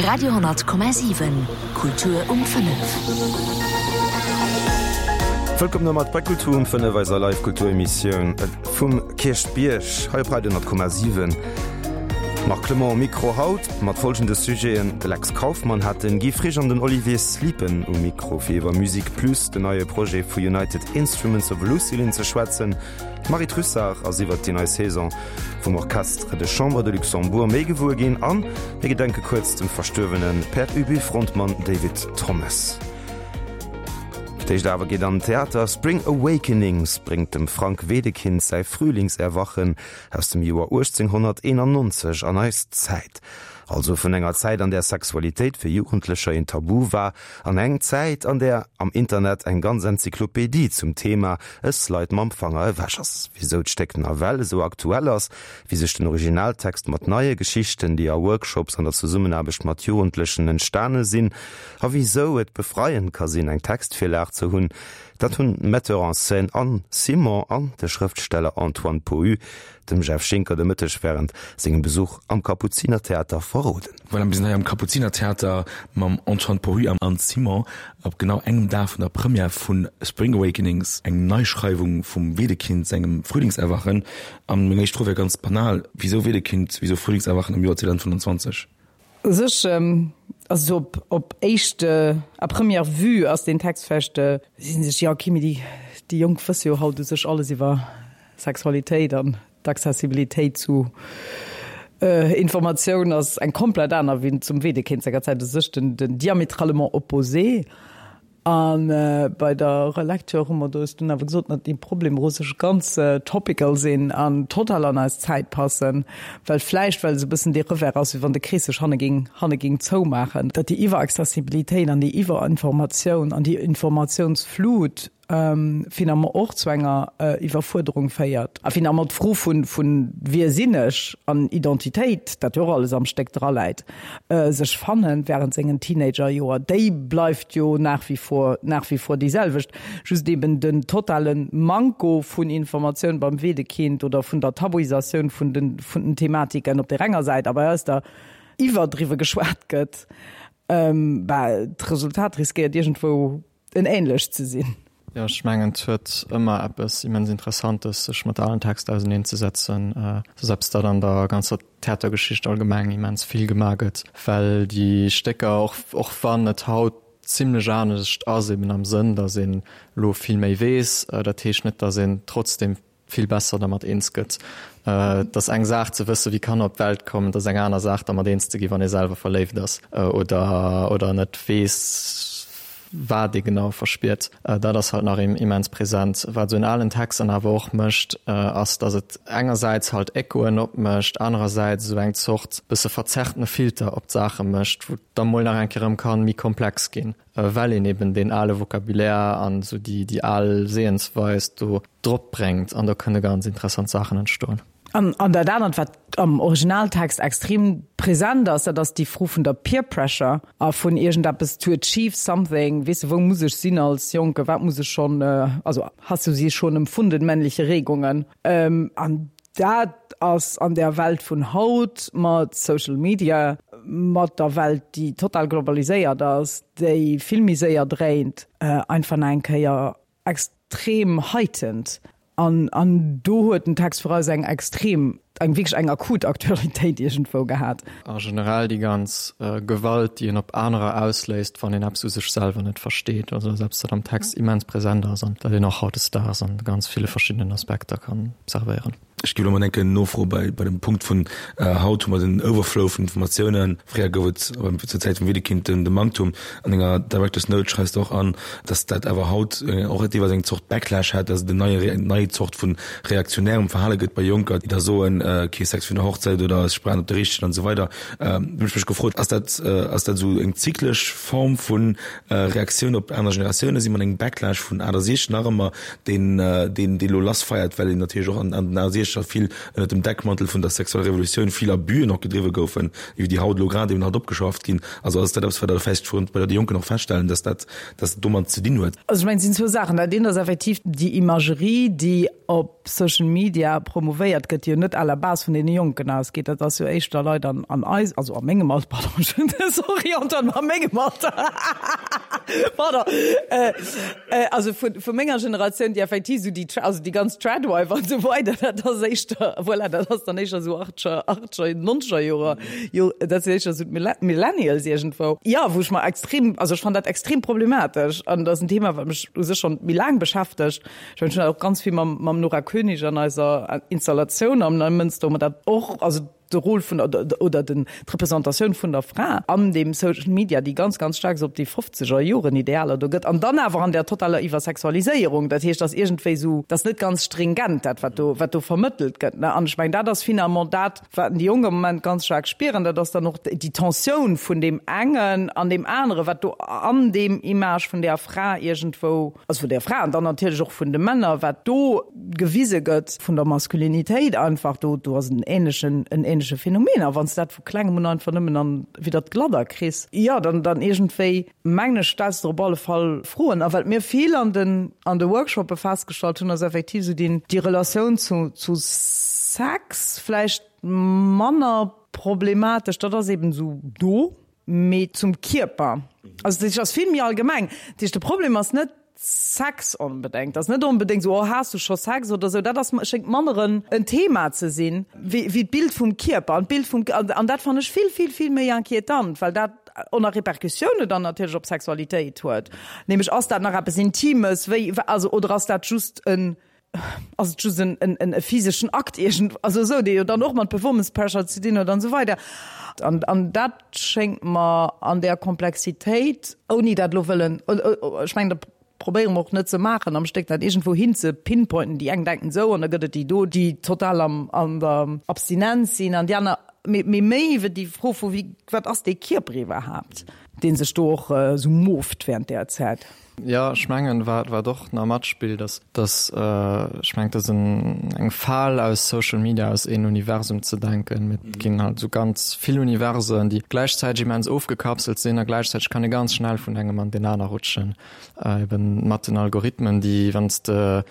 Radio,7 Kultur um 5. Wëllkomm nomat bei Kultur um 5, eiser Live Kulturemissioun vum Kierchbierg hei op Radio 10,7. Marc Clement um Mikro haut mat folgende Sujeten, De Lex Kauffmann hat den Guy Frisch an den Olivier Sliepen um Mikro fir iwwer Musique Plus, den neie Projet vu United Instruments of Lucilin ze schwätzen. D'Marie Trussart ass iwwert déi nei Saison vum Orchestre de Chambre de Luxembourg méi gewuer ginn an mir gedenke kuerz dem verstuerwene Père Ubu-Frontmann David Thomas. Fir d'éischt awer geet an den Theater. Spring Awakenings bréngt dem Frank Wedekind säi Frühlingserwachen aus dem Joer 1891 an eis Zäit. Also vun enger Zäit, an där Sexualitéit fir Jugendlecher een Tabu war, an eng Zäit, an där am Internet eng ganz Enzyklopedie zum Thema e Slide mam Fanger ewech ass. Wisou d'Stéck nawell esou aktuell ass, wéi sech den Originaltext mat neie Geschichten, déi a Workshops an der Zesummenaarbecht mat Jugendlechen entstane sinn, a wisou et befreiend ka sinn, eng Textvirlag ze hunn, dat hunn d'Metteur en scène Anne Simon an de Schrëftsteller Antoine Pohu dem Jeff Schinker de Mëtteg wärend sengem Besuch am Kapuzinertheater verroden. Voilà, mir sinn hei am Kapuzinertheater mam Antoine Pohu an Anne Simon op genau engem Dag vun der Première vu Spring Awakenings, eng Neischreiwung vum Wedekind sengem Frühlingserwachen. An meng éischt Fro wär ganz banal, Wisou Wedekind, wisou Frühlingserwachen am Joer 2025? U sech, also sou op, op éischt, à première vue ass deen Text vläicht, si sech, jo ok, mee déi, déi Jonk wësse jo haut u sech alles iwwer Sexualitéit an d'Accessibilitéit zu Informatioun ass eng komplett aner wéi zum Wedekind senger Zäit, u sech den, den diamétralement opposé. A bei der Relecture hu mer eis dunn awer gesot, datt déi Problemer u sech ganz topical sinn an total an eis Zäit passen, well vläicht, well esou e bëssen dee Revers ass, wéi wann de Krees sech hanne géing, hanne géing zoumaachen, datt déi Iwweraccessibilitéit an déi Iwwerinformatioun an déi Informatiounsflut finalement och zu enger Iwwerfuerderung féiert. A finalement d'Fro vun, vun wie sinn ech an Identitéit, dat jo och alles am Stéck draläit, sech fannen während sengen Teenagerjoer, déi bleift jo nach wie vor, nach wie vor déi selwecht. Just eben den totale Manko vun Informatioun beim Wedekind oder vun der Tabuisatioun vun den, vun den Thematiken op där enger Säit a bei eis der iwwerdriwwe geschwat gëtt, bah, d'Resultat riskéiert iergendwou en ähnlecht ze sinn. Jo, ech mengen, et huet ëmmer eppes immens Interessantes, sech mat alen Texter auserneenzësetzen. Et ass eppes, dat an der ganzer Theatergeschicht allgemeng immens vill gemaach gëtt, well déi Stécker, och, och wann et haut zimlech anescht ass, eben am Sënn, datt een elo vill méi weess, dat heescht net, datt een trotzdem vill besser dermat eens gëtt. Et ass eng Saach ze wësse wéi Kanner op d'Welt kommen, et ass eng aner Saach dermat eens ze gi wann ee selwer verléift ass oder oder net weess wat ee genau verspiert. Dat ass halt nach immens present. Wat esou en alen Text dann awer och mécht, ass datt et engersäits halt Echoen opmécht, anerersäits esou eng Zort bësse verzerrtene Filter op d'Saache mécht, wou et da mol nach eng Kéier erëm ka méi komplex ginn. Well een eben deen ale Vocabulaire an esou déi, déi al Sehensweis do drop bréngt an do kënne ganz interessant Saachen entstoen. An, an dat anert, wat am Originaltext extrem present ass, dat ass déi Fro vun der Peer Pressure a vun iergendeppes to achieve something, weess de, wou muss ech sinn als Jonke, wat muss ech schonn, also hast du sie schon empfunden, männliche Regungen? An Dat ass an der Welt vun haut mat Social Media, mat der Welt, déi total globaliséiert ass, déi vill méi séier dréint, einfach nach eng Kéier extrem heightened. An, an do huet den Text fir eis eng extrem, eng wierklech eng akut Aktualitéit iergendwou gehat. A generell déi ganz Gewalt, déi een op anerer ausléist, wann een eppes u sech selwer net versteet. Also dat ass eppes, wat am Text immens present ass an dat een och hautdesdaags an ganz ville verschiddenen Aspekter kann observéieren. Ech géif elo mol enke nofroe bei bei dem Punkt vun haut hu mer den Overflow vun Informatiounen. Fréier gouf et zur Zäit vum Wedekind den de Manktum. An denger Director's Note schreifs de och an, datt dat awer haut och deelweis eng Zort Backlash hätt, datt et en neie eng nei Zort vu reaktionärem Verhale gëtt bei Jonker, déi da soen, kee Sex virun der Hochzäit oder ech brauch net de Richtegen an esou weider. Do hunn ech mech gefrot, ass dat ass dat esou eng zyklesch Form vu Reaktioun op aner Generatiounen? Si mer an engem Backlash vun 68 nach ëmmer, deen deen deen elo lassfeiert, well een natierlech och an an den 68er vill ënnert dem Deckmantel vun der sexueller Revolutioun vill Abüen och gedriwwe goufen, iwwer déi haut elo grad eben halt opgeschafft ginn. Also ass dat eppes, wat Der vläicht vun bei de Jonken och feststellen, dass dat dass dat domat ze dinn huet? Also ech mengen, et sinn zwou Saachen. Dat eent ass effektiv déi Imagerie, déi op Social Media promouvéiert gëtt, déi jo net à la. la base vun deene Jonken ausgeet. Dat ass jo éischter Leit an, an eis, also a mengem Alter, pardon, sorry Antoine, ma a mengem Alter, pardon, also vu, vu menger Generatioun, déi effektiv esou déi, also déi ganz Tradwife an esou weider, dat ass éischter, voilà, dat ass dann éischter esou achtscher, achtscher, nonzeger Jorer, jo, dat sinn éischter esou d'Millennials iergendwou. Jo, wou ech mer extrem, also ech fannen dat extrem problematesch an dat ass en Thema, wat mech u sech schonn méi laang beschäftegt. Ech mengen, ech hunn dat och ganz vill mam, mam Nora Koenig an eiser Installatioun am Neimënster, wou mer dat och, also de Rôle vun der, oder den, d'Representatioun vun der Fra an deem Social Media, déi ganz, ganz staark esou op déi fofzeger Joren Idealer do gëtt an dann awer an där totaler Iwwersexualiséierung. Dat heescht, dass iergendwéi esou, dat ass net ganz stringent dat, wat do, wat do vermëttelt gëtt, ne. An ech mengen, dat ass finalement dat, Wat déi Jonk am Moment ganz staark spieren, dat ass dann och déi Tensioun vun deem engen an deem aneren, wat do an deem Image vun där Fra iergendwou, also vun där Fra an dann natierlech och vun de Männer, wat do gewise gëtt vun der Maskulinitéit einfach, do, do ass en ähnlechen, en ähnleche Phänomen. A wann s de dat vu klengem un einfach nëmmen an widder d'Gladder kriss, jo, dann, dann iergendwéi, mengen ech, stells de der op alle Fall Froen. A wat mir vill an den, an de Workshoppe festgestallt hunn, ass effektiv esou deen, déi Relatioun zu, zu Sex vläicht manner problematesch, dat ass eben esou do, mee zum Kierper, also dat ass vill méi allgemeng. Dat heescht, de Problem ass net Sex onbedéngt, ass net onbedéngt esou, oh has du scho Sex oder esou, dat ass, schéngt manner en, en Thema ze sinn, wéi, wéi d'Bild vum Kierper an d'Bild vum, an dat fannen ech vill, vill, vill méi inquietant, well dat, och nach Repercussioune dann natierlech op Sexualitéit huet, nämlech ass dat nach eppes Intimes, wéi, also oder ass dat just en, ass et just en, en, en e physeschen Akt iergend, also esou, dee jo dann och mat Performance Pressure ze dinn huet an esou weider. An, an dat schéngt mer an där Komplexitéit, ouni dat elo wëllen, ech mengen, dat probéiere mer och net ze maachen am Stéck, dat iergendwou hin ze pinpointen, déi eng denken esou an da gëtt et déi do, déi total am, an der Abstinenz sinn an déi aner, mee, mee méi iwwer déi Fro vu wéi, wat ass dee Kierper iwwerhaapt, dee sech do och esou movt während där Zäit. Jo, ech mengen, wat, wat och nach matspillt, ass, dass, ech mengen, et ass en, eng Fal aus Social Media, aus een Universum ze denken. Mee et ginn halt esou ganz vill Universen, déi gläichzäiteg immens ofgekapselt sinn a gläichzäiteg kann ee ganz schnell vun engem an deen aner rutschen. Eben mat den Algorithmen, déi, wann s de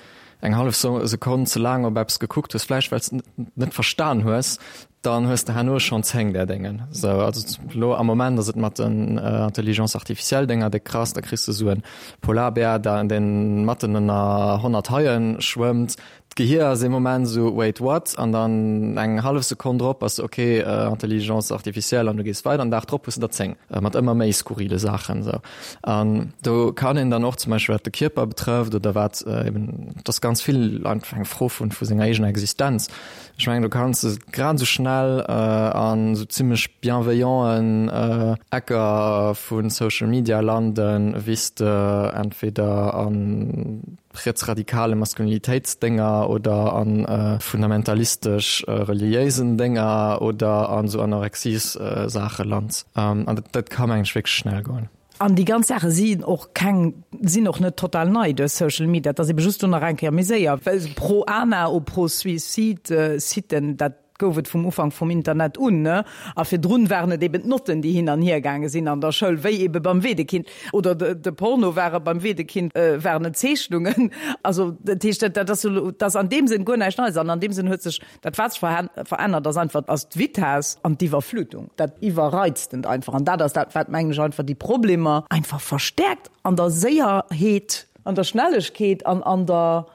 eng hallef Sekonn ze laang op eppes gekuckt hues, vläicht well s de net verstan hues, dann hues de herno schonn 10 där Déngen. Sou, also elo am Moment ass et mat den Intelligence artificielle Dénger déck krass, da kriss de sou e Polarbär, deen matten ënner 100 Haie schwëmmt. D'Gehier ass ee Moment esou, wait what? An dann eng hallef Sekonn drop ass ok, Intelligence artificielle an du gees weider. An Dag drop hues de der 10 mat ëmmer méi skurrile Saachen esou. An do kann een dann och zum Beispill wat de Kierper betrëfft oder wat eben, et ass ganz vill einfach eng Fro vun vu senger eegener Existenz. Ech mengen do kanns de grad esou schnell an esou zimmlech bienveillanten Ecker vu Social Media landen, wéi s de entweder an rietsradikale Maskulinitéitsdénger oder a fundamentalistesch reliéisen Dénger oder an esou Anorexies-Saache lant. An dat ka mengen ech wierklech schnell goen. An déi ganz Saache sinn och keng, sinn och net total nei duerch Social Media. Et ass ebe just do nach eng Kéier méi séier, well pro Ana ou pro Suicide Siten, dat gouf et vum Ufank vum Internet un, ne? A virdrun waren et eben d'Notten, déi hin an hier gaange sinn an der Schoul, wéi ebe beim Wedekind. Oder de Porno ware beim Wedekind, waren et Zeechnungen. Also dat heescht, dat ass elo, dat ass an deem Sënn guer näischt Neies. An an deem Sënn huet sech dat, wat sech verännert, ass einfach, ass d'Vitesse an d'Iwwerflutung, dat Iwwerreiztent einfach. An dat ass dat, wat, mengen ech, einfach déi Problemer einfach verstäerkt an der Séierheet, an der Schnellegkeet an an der,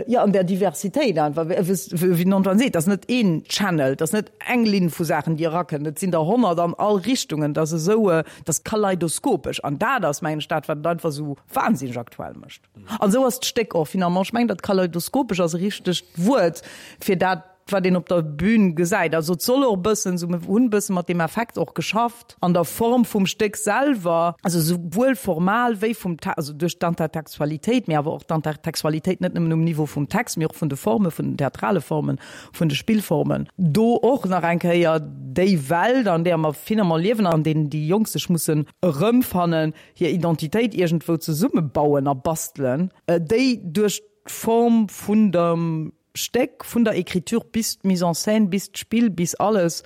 Jo, an där Diversitéit einfach, wéi den Antoine seet, dat ass net een Channel, dat ass net eng Linn vu Saachen, déi erakënnt, et sinn der 100 an all Richtungen, dat ass esou, dat ass kaleidoskopesch an dat ass, mengen ech, dat, wat et einfach esou wahnsinneg aktuell mécht. An esou ass d'Stéck och finalement. Ech mengen, dat kaleidoskopesch ass e richtegt Wuert fir dat, wat een op der Bühn gesäit. Also et soll och e bëssen esou, mir hunn e bësse mat deem Effekt och geschafft an der Form vum Stéck selwer, also souwuel formal wéi vum Te-, also duerch d'Intertextualitéit, mee awer och d'Intertextualitéit net nëmmen um Niveau vum Text, mee och vun de Formen, vun den theatrale Formen, vun de Spillformen, do och nach eng Kéier déi Welt, an där mer finalement liewen, an deenen déi Jonk sech mussen erëmfannen, hir Identitéit iergendwou zesummebauen a bastelen, déi duerch d'Form vun dem Stéck, vun der Écriture bis d'Mise en scène, bis d'Spill, bis alles,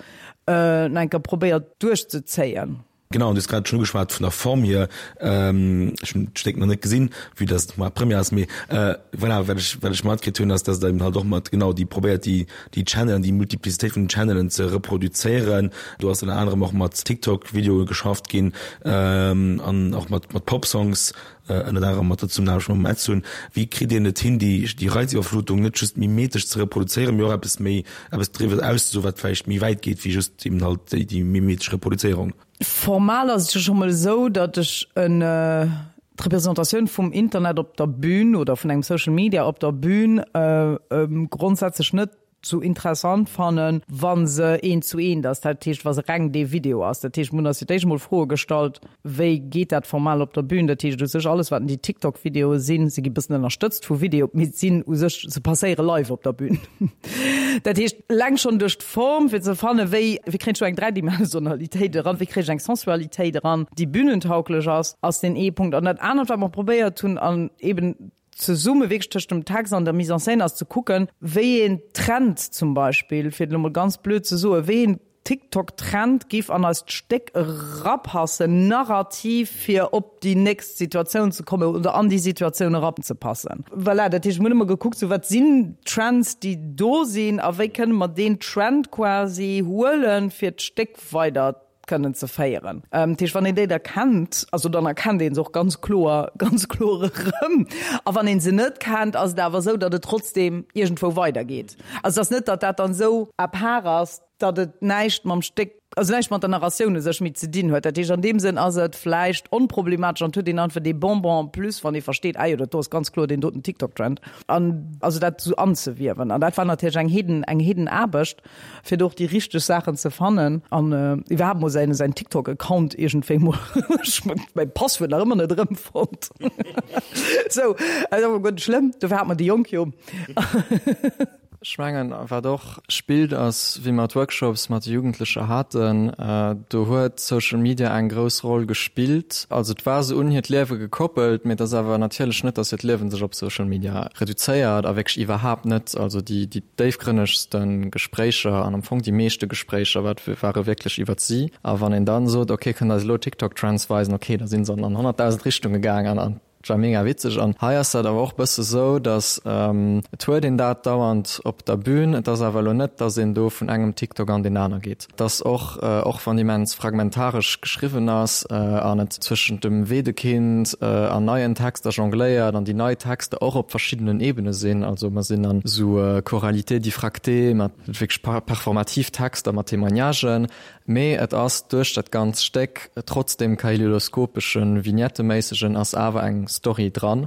nach eng Kéier probéiert duerchzezéien. Genau, an du hues grad schonn ugeschwat vun der Form hier. Ech hunn d'Stéck nach net gesinn, vue dass et mar Première ass, mee voilà, wat ech, wat ech matkritt hunn, ass, dass der eben halt och mat genau déi probéiert, déi, déi Channelen, déi Multiplicitéit vun den Channelen ze reproduzéieren. Do ass ënner anerem och mat TikTok-Videoe geschafft ginn an och mat, mat Pop-Songs, ënnert anerem mat der Zesummenaarbecht mam Edsun. Wéi kritt een et hin, déi, déi Reiziwwerflutung net just mimetesch ze reproduzéieren, mee och eppes méi, eppes driwwer auszesoen, wat vläicht méi wäit geet wéi just eben halt déi, déi mimetesch Reproduzéierung? Formal ass et jo scho mol esou, datt ech en, d'Representatioun vum Internet op der Bühn oder vun engem Social Media op der Bühn grondsätzlech net sou interessant fannen, wa se eent zu eent ass, dat heescht, wa se reng dee Video ass. Dat heescht, mir hunn eis fir d'éischt emol Froe gestallt, Wéi geet dat formal op der Bühn? Dat heescht u sech, alles wat déi TikTok-Videoe sinn, se gi bëssen ënnerstëtzt vu Video, mee sinn u sech, se passéiere live op der Bühn. Dat heescht, eleng schonn duerch d'Form, fir ze fannen, wéi, wéi kréien ech do eng Dräidimensionalitéit eran, wéi kréien ech eng Sensualitéit eran, déi bühnentauglech ass, ass deen ee Punkt. An dat anert, wat mer probéiert hunn, an eben zesumme wierklech tëscht dem Text an der Mise en scène ass ze kucken, wéi een Trend zum Beispill, fir et elo mol ganz blöd ze soen, wéi een TikTok-Trend giff an eist Stéck erapassen, narrativ, fir op déi nächst Situatioun ze kommen oder an déi Situatioun eranzepassen. Voilà, dat heescht, mir hunn ëmmer gekuckt, sou wat sinn Trends, déi do sinn a wéi kënne mer deen Trend quasi huelen, fir d'Stéck weider kënnen ze féieren. Dat heescht, wann een déi da kennt, also dann erkennt ee se och ganz kloer, ganz kloer erëm. A wann ee se net kennt, ass et awer esou, datt et trotzdeem iergendwou weidergeet. Also et ass net, datt dat dann esou à part ass, datt et näischt mam Stéck, also näischt mat der Narratioun u sech méi ze dinn huet. Dat heescht, an deem Sënn ass et vläicht onproblematesch an et huet een einfach dee Bonbon en plus, wann ee versteet, ah jo, dat do ass ganz kloer deen doten TikTok-Trend. An also dat esou anzewiewen. An dat war natierlech eng Heeden, eng Heedenaarbecht. fir do och déi richteg Saachen ze fannen an iwwerhaapt mol säin säin TikTok Account iergendwéi mol ech hunn mäi Passwuert nach ëmmer net erëmfonnt. Sou, ass awer guer net schlëmm, dofir hat mer déi Jonk jo. Ech mengen, wat och spillt, ass, wéi mer d'Workshops mat de Jugendlecher haten, do huet Social Media eng grouss Roll gespillt. Also et war se un hiert Liewe gekoppelt, mee et ass awer natierlech net, datt hiert Liewen sech op Social Media reduzéiert a wierklech iwwerhaapt net. Also déi déifgrënnegste Gespréicher an am Fong déi meeschte Gespréicher wat ware wierklech iwwert si. A wann een dann sot, ok, kënnt eis elo TikTok-Trends weisen, ok, da si se an 100.000 Richtunge gaang an an et war mega witzeg. An hei ass dat awer och bësse sou, datt et huet een dat dauernd op der Bühn, et ass awer elo net, datt een do vun engem TikTok an deen aner geet. Et ass och, och wann immens fragmentaresch geschriwwen ass an et zwëschent dem Wedekind an neien Texter jongléiert an déi nei Texter och op verschiddenen Ebene sinn, also mer sinn an esou Choralité diffractée mat wierklech performativ Texter mat Témoignagen, mee et ass duerch dat ganz Stéck, trotz deem kaleidoskopeschen, vignetteméissegen, ass awer eng Story dran,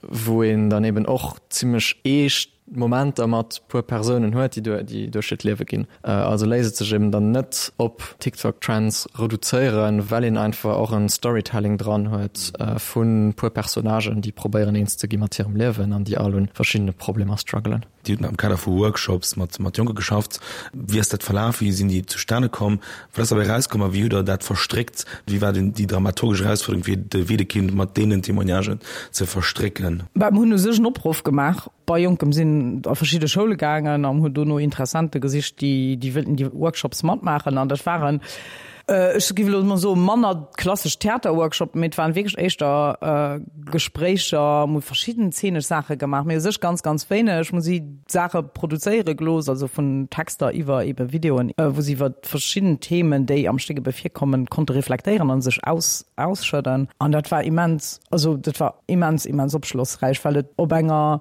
wou een dann eben och zimmlech eescht Momenter mat puer Persounen huet, déi déi duerch hiert Liewe ginn. Also léisst et sech eben dann net op TikTok Trends reduzéieren, well een einfach och en Storytelling dran huet vu puer Personnagen, déi probéieren eens ze gi mat hirem Liewen an déi all un verschiddene Problemer struggelen. Dir hutt am Kader vu Workshops mat mat Jonke geschafft. Wéi ass dat verlaf? Wéi sinn déi zustane komm? Wat ass derbäi erauskomm a wéi hutt Der dat verstréckt? Wéi war déi dramaturgesch Erausfuerderung fir de Wedekind mat deenen Témoignagen ze verstrécken? Bah, mir hunn u sech en Opruff gemaach bei Jonkem, sinn a verschidde Schoule gaangen an hunn do no Interessente gesicht, déi déi wëllten déi Workshops matmaachen. An dat waren, ech géif elo emol soen, manner klassesch Theaterworkshoppen, mee et waren wierklech éischter Gespréicher, mir hu verschidden zeenesch Saache gemaach, mee u sech ganz, ganz wéineg. Mir hu si Saache produzéiere gelooss, also vun Texter iwwer ebe Videoen, wou si iwwer verschidden Themen, déi am Stéck ebe virkommen, konnte reflektéieren a sech aus, ausschëdden. An dat war immens, also dat war immens, immens opschlossräich, well et op enger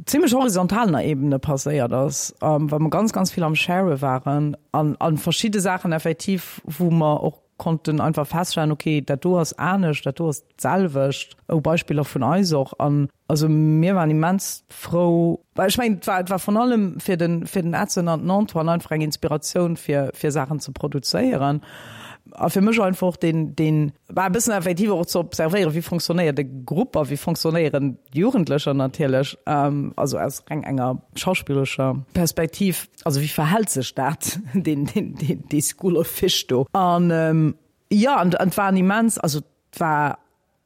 zimmlech horizontalener Ebene passéiert ass, well mer ganz, ganz vill am Share waren an a verschidde Saachen effektiv, wou mer och konnten einfach feststellen, okay, dat do ass anescht, dat do ass d'selwecht, oh, Beispiller vun eis och. An also mir waren immens frou, well ech mengen, et war, et war vrun allem fir den, fir den Edson an den Antoine einfach eng Inspiratioun fir, fir Saachen ze produzéieren. A fir mech einfach och deen, deen war e bëssen effektiv och ze observéieren, wéi fonctionnéiert e Grupp a wéi fonctionnéieren Jugendlecher natierlech, also aus reng enger schauspillerescher Perspektiv. Also wéi verhält sech dat, deen, deen, deen, dee School of Fish do? An jo, an et war en immens, also et war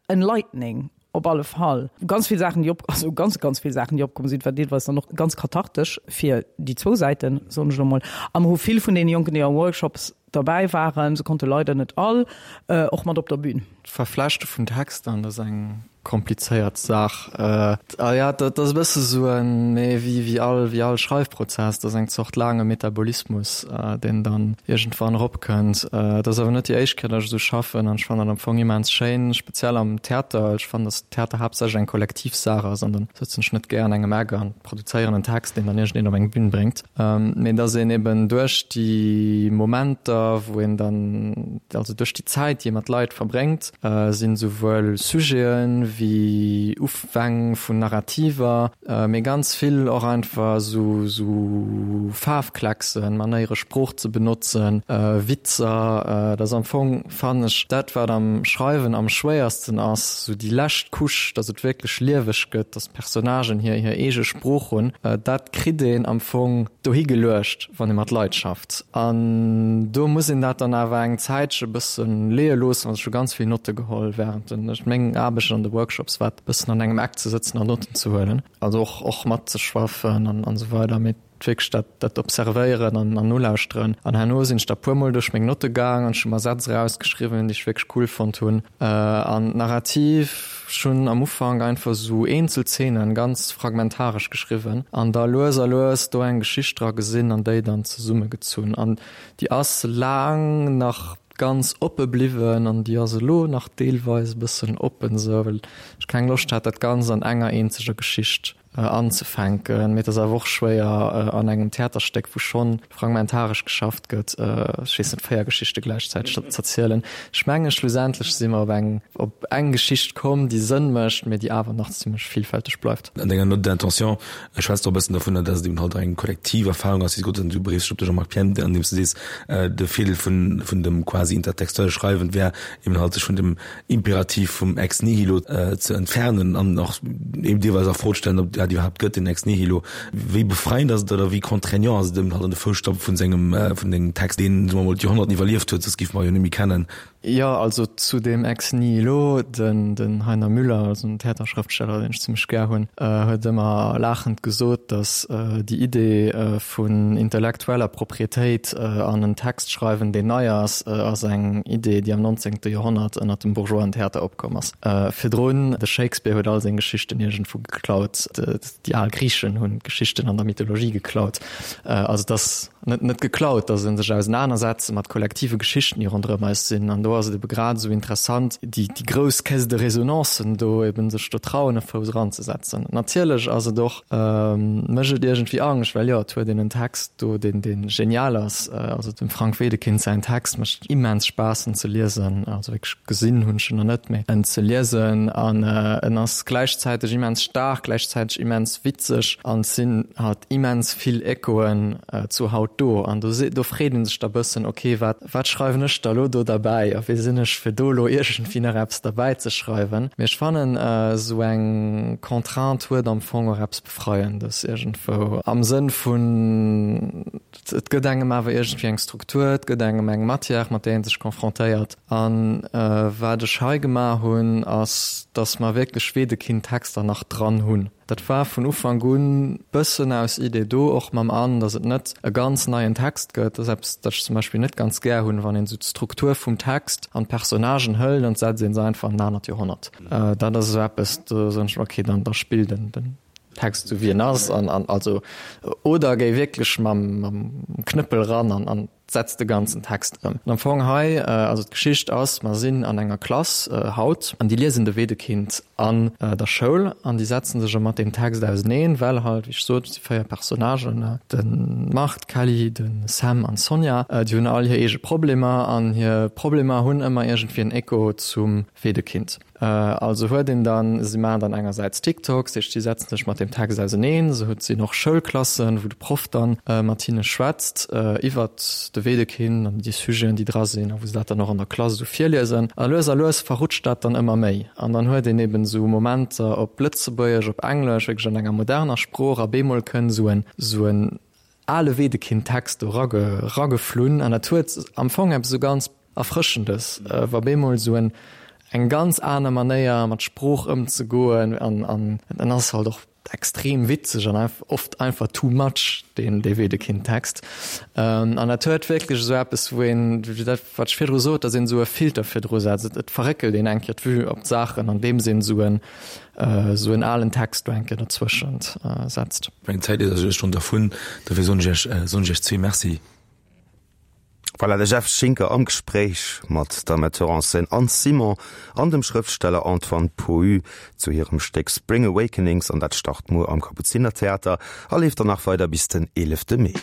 enlightening op alle Fall. Ganz vill Saachen, déi op, also ganz, ganz vill Saachen, déi opkomm sinn, war deelweis dann och ganz kathartesch fir déi zwou Säiten, soen ech elo mol. A mer hu vill vun deene Jonken, déi am Workshops. Derbäi waren. Se konnte leider net all och mat op der Bühn. D'Verflechte vun Texter, dat ass eng komplizéiert Saach. A jo, dat ass e bësse sou en, mee wéi wéi all wéi all Schreifprozess, dat ass eng Zort laange Metabolismus, deen dann iergendwann eropkënnt. Et ass awer net déi éischt Kéier, datt ech esou schaffen an ech fannen dat am Fong immens schéin, speziell am Theater, well ech fannen, datt Theater haaptsächlech eng kollektiv Saach ass an dann sëtzen ech net gär an engem Eck an produzéieren en Text, deen dann iergendeen op eng Bühn bréngt. Mee dass een eben duerch déi Momenter, wou een dann, also duerch déi Zäit, déi ee mat Leit verbréngt, sinn esouwuel Sujeten wéi Ufäng vun Narrativer, mee ganz vill och einfach esou esou Faarfklecksen, Manéiere Sprooch ze benotzen, Witzer. Dat ass am Fong, fannen ech, dat wat am Schreiwen am schwéiersten ass, esou déi lescht Couche, dass et wierklech lieweg gëtt, dass d'Personnagen hir hir eege Sprooch hunn, dat kritt een am Fong dohi geluecht, wann ee mat Leit schafft. An do muss een dat dann awer eng Zäitche bësse leeë loossen. Also ech hu ganz vill Notte geholl während den, meng Aarbecht an de Workshops war bëssen an engem Eck ze sëtzen an Notten ze huelen, also och och matzeschwaffen an an esou weider. Mee wierklech dat, dat observéieren an, an nolauschteren. An herno sinn ech da puermol duerch meng Notte gaang an ech hu mer Sätz erausgeschriwwen, déi ech wierklech cool fonnt hunn. An d'Narrativ, ech hunn am Ufank einfach esou eenzel Zeenen ganz fragmentaresch geschriwwen an da lues a lues do eng Geschicht dra gesinn an déi dann zesummegezunn. An déi ass laang nach ganz oppe bliwwen an déi ass elo nach deelweis e bëssen oppen esou, well ech keng Loscht hat, dat Ganzt an enger eenzeger Geschicht anzefänken. Mee et ass awer och schwéier an engem Theaterstéck, wou schonn fragmentaresch geschafft gëtt, ech weess net, 4 Geschichte gläichzäiteg z'erzielen. Ech mengen, schlussendlech si mer op eng op eng Geschicht komm, déi Sënn mécht, mee déi awer nach zimmlech villfälteg bleift. An denger Note d'intention schwätz de och e bëssen dovunner, dass et eben halt eng kollektiv Erfahrung ass, déi s de du beriffs dech op de Jean-Marc Pienne, an deem s de sees, de Virdeel vun vun dem quasi intertextuelle Schreiwen wär eben halt sech vun dem Imperativ vum Ex nihilo ze entfernen an och eben deelweis a Fro ze stellen, ob dat iwwerhaapt gëtt, den Ex nihilo. Wéi befreiend ass et oder wéi contraignant ass et eben halt an de Foussstappe vun sengem, vun dengem Text, deen, soe mer mol, d'Joerhonnerten iwwerlieft huet, soss géife mer jo net méi kennen. Jo, also zu deem Ex nihilo, den, den Heiner Müller, also en Theaterschrëftsteller, deen ech zimmlech gär hunn, huet ëmmer laachend gesot, datt déi Idee vun intellektueller Proprietéit an en Text schreiwen, deen nei ass, ass eng Idee, déi am 19. Joerhonnert ënner dem Bourgeoisen-Theater opkomm ass. Virdrun, de Shakespeare huet all seng Geschichten iergendwou geklaut, déi al Griichen hunn d'Geschichten an der Mythologie geklaut. Also et ass net net geklaut, et ass e sech ausenanersetze mat kollektive Geschichten, déi ronderëm eis sinn. An do ass et ebe grad esou interessant, déi grouss Caisse de résonancen do eben sech do trauen, e Fouss eranzesetzen. Natierlech ass et och Mécht et iergendwéi Angscht, well jo, et huet een en Text do, deen, dee genial ass. Also dem Frank Wedekind säin Text mécht immens Spaass en ze liesen. Also wierklech gesinn hunn ech en nach net, mee en ze liesen. An en ass gläichzäiteg immens staark, gläichzäiteg immens witzeg an et sinn halt immens vill Echoen zu haut do. An do, do freet ee sech da bëssen, ok, wat, Wat schreiwen ech da lo do derbäi a wie sinn ech fir do lo iergendwéi nach eppes derbäi ze schreiwen? Mee ech fannen esou eng Contrainte huet am Fong och eppes Befreiendes iergendwou am Sënn vun et gëtt engem awer iergendwéi eng Struktur, et gëtt engem eng Matière mat där ee sech confrontéiert. An wat ech hei gemaach hunn ass, datt mer wierklech Wedekind-Texter nach dran hunn. Dat war vun Ufank un bëssen aus Idee do, och mam An, datt et net e ganz neien Text gëtt. Dat ass eppes, dat ech zum Beispill net ganz gär hunn, wann een esou d'Struktur vum Text an d'Personnagen hëlt an setzt ee se einfach an en anert Joerhonnert. Dat ass esou eppes, do soen ech mer, okay, dann da spill den den Text esou wéi en ass an an also oder géi wierklech mam mam Knëppel ran an an Setzt de ganzen Text ëm. An am Fong hei, also d'Geschicht ass, mer sinn an enger Klass haut an déi liesen de Wedekind an der Schoul an déi setzen sech mat deem Text auseneen, well halt, wéi ech sot, et si 4 Personnagen, de Marc, d'Kelly, de Sam an d'Sonja, déi hunn all hir eege Problemer an hir Problemer hunn ëmmer iergendwéi en Echo zum Wedekind. Also huet een dann, si maachen dann engersäits TikToks, dat heescht si setzen sech mat deem Text auseneen, se huet sinn och Schoulklassen, wou de Proff dann mat hinne schwätzt iwwert de Wedekind an déi Sujeten, déi dra sinn a wou se dat dann och an der Klass esou virliesen. A lues a lues verrutscht dat dann ëmmer méi an dann huet een eben esou Momenter op Lëtzebuergesch, op Englesch, wierklech an enger moderner Sprooch a bemol kënn esou en, esou en ale Wedekind-Text do rageflunn an dat huet am Fong eppes esou ganz Erfrëschendes, wa bemol esou en eng ganz aner Manéier mat Sprooch ëmzegoen an an en ass halt och. extrem witzeg an oft einfach too much, deen dee Wedekind-Text. An dat huet wierklech esou eppes, wou een, wéi dat wat ech virdru sot, datt een esou e Filter virdru setzt. Et verréckelt een eng Kéier d'Vue op d'Saachen, andeems een esou en esou en alen Text do eng Kéier derzwëschent setzt. Meng Zäit ass elo schonn dervun, dofir soen ech Iech soen ech Iech zwee Merci. Voilà, de Jeff Schinker am Gespréich mat der Metteur en scène Anne Simon an dem Schrëftsteller Antoine Pohu zu hirem Stéck Spring Awakenings an dat start muer am Kapuzinertheater a leeft dann nach weider bis den 11 Mee.